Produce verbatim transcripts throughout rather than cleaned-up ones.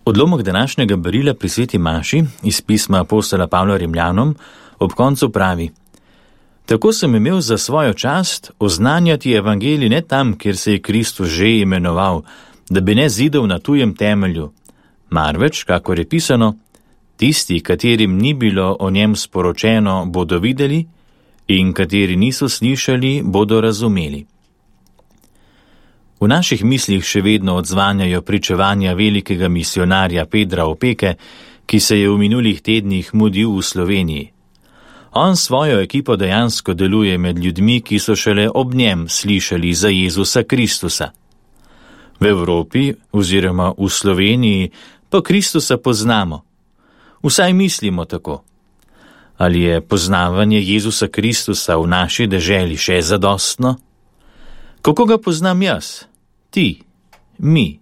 Odlomek današnjega berila pri sveti maši iz pisma apostola Pavla Rimljanom ob koncu pravi: Tako sem imel za svojo čast oznanjati evangelij ne tam, kjer se je Kristus že imenoval, da bi ne zidal na tujem temelju, marveč, kakor je pisano, tisti, katerim ni bilo o njem sporočeno, bodo videli, in kateri niso slišali, bodo razumeli. V naših mislih še vedno odzvanjajo pričevanja velikega misionarja Pedra Opeke, ki se je v minulih tednih mudil v Sloveniji. On svojo ekipo dejansko deluje med ljudmi, ki so šele ob njem slišali za Jezusa Kristusa. V Evropi oziroma v Sloveniji pa Kristusa poznamo. Vsaj mislimo tako. Ali je poznavanje Jezusa Kristusa v naši deželi še zadostno? Kako ga poznam jaz? Ti? Mi?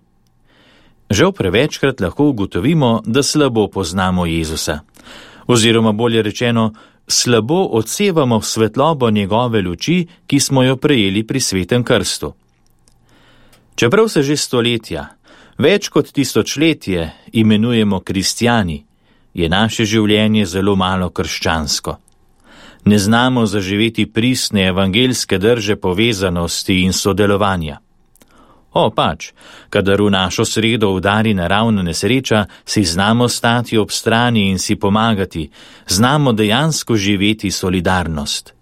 Žal prevečkrat lahko ugotovimo, da slabo poznamo Jezusa. Oziroma bolje rečeno, slabo odsevamo svetlobo njegove luči, ki smo jo prejeli pri svetem krstu. Čeprav se že stoletja, več kot tisočletje imenujemo kristjani, je naše življenje zelo malo krščansko. Ne znamo zaživeti pristne evangeljske drže povezanosti in sodelovanja. O, pač, kadar v našo sredo udari naravna nesreča, si znamo stati ob strani in si pomagati, znamo dejansko živeti solidarnost.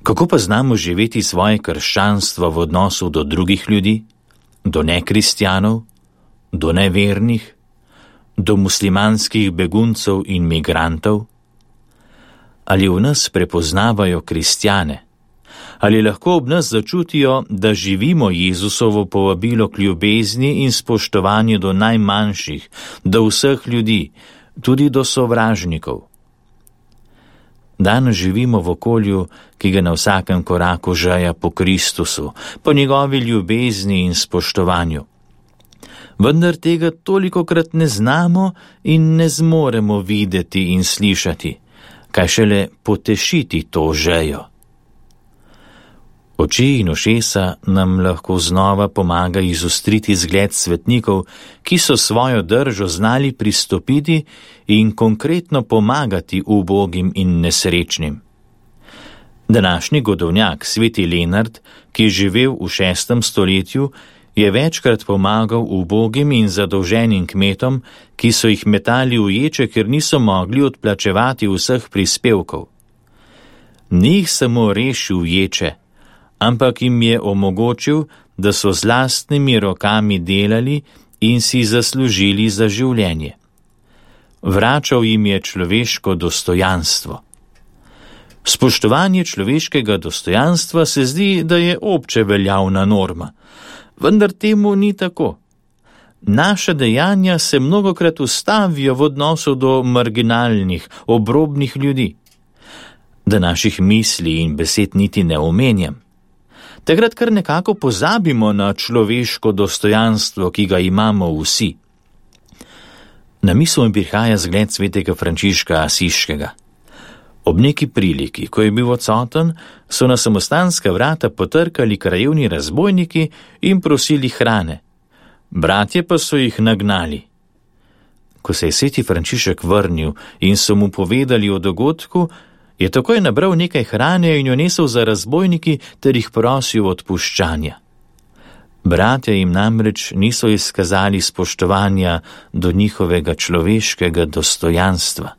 Kako pa znamo živeti svoje krščanstvo v odnosu do drugih ljudi, do nekristjanov, do nevernih, do muslimanskih beguncev in migrantov? Ali v nas prepoznavajo kristjane? Ali lahko ob nas začutijo, da živimo Jezusovo povabilo k ljubezni in spoštovanju do najmanjših, do vseh ljudi, tudi do sovražnikov? Danes živimo v okolju, ki ga na vsakem koraku žeja po Kristusu, po njegovi ljubezni in spoštovanju. Vendar tega tolikokrat ne znamo in ne zmoremo videti in slišati, kaj šele potešiti to žejo. Oči in ušesa nam lahko znova pomaga izostriti zgled svetnikov, ki so svojo držo znali pristopiti in konkretno pomagati ubogim in nesrečnim. Današnji godovnjak, sveti Lenart, ki je živel v šestem stoletju, je večkrat pomagal ubogim in zadolženim kmetom, ki so jih metali v ječe, ker niso mogli odplačevati vseh prispevkov. Ni jih samo rešil ječe, ampak jim je omogočil, da so z lastnimi rokami delali in si zaslužili za življenje. Vračal jim je človeško dostojanstvo. Spoštovanje človeškega dostojanstva se zdi, da je obče veljavna norma, vendar temu ni tako. Naša dejanja se mnogokrat ustavijo v odnosu do marginalnih, obrobnih ljudi. Da naših misli in besed niti ne omenjam. Takrat kar nekako pozabimo na človeško dostojanstvo, ki ga imamo vsi. Na misel mi prihaja zgled svetega Frančiška Asiškega. Ob neki priliki, ko je bil odsoten, so na samostanska vrata potrkali krajevni razbojniki in prosili hrane. Bratje pa so jih nagnali. Ko se je sveti Frančišek vrnil in so mu povedali o dogodku, je takoj nabral nekaj hrane in jo nesel za razbojniki ter jih prosil odpuščanja. Bratje jim namreč niso izkazali spoštovanja do njihovega človeškega dostojanstva.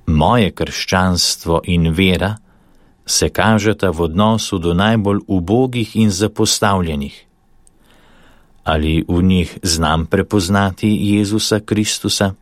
Moje krščanstvo in vera se kažeta v odnosu do najbolj ubogih in zapostavljenih. Ali v njih znam prepoznati Jezusa Kristusa?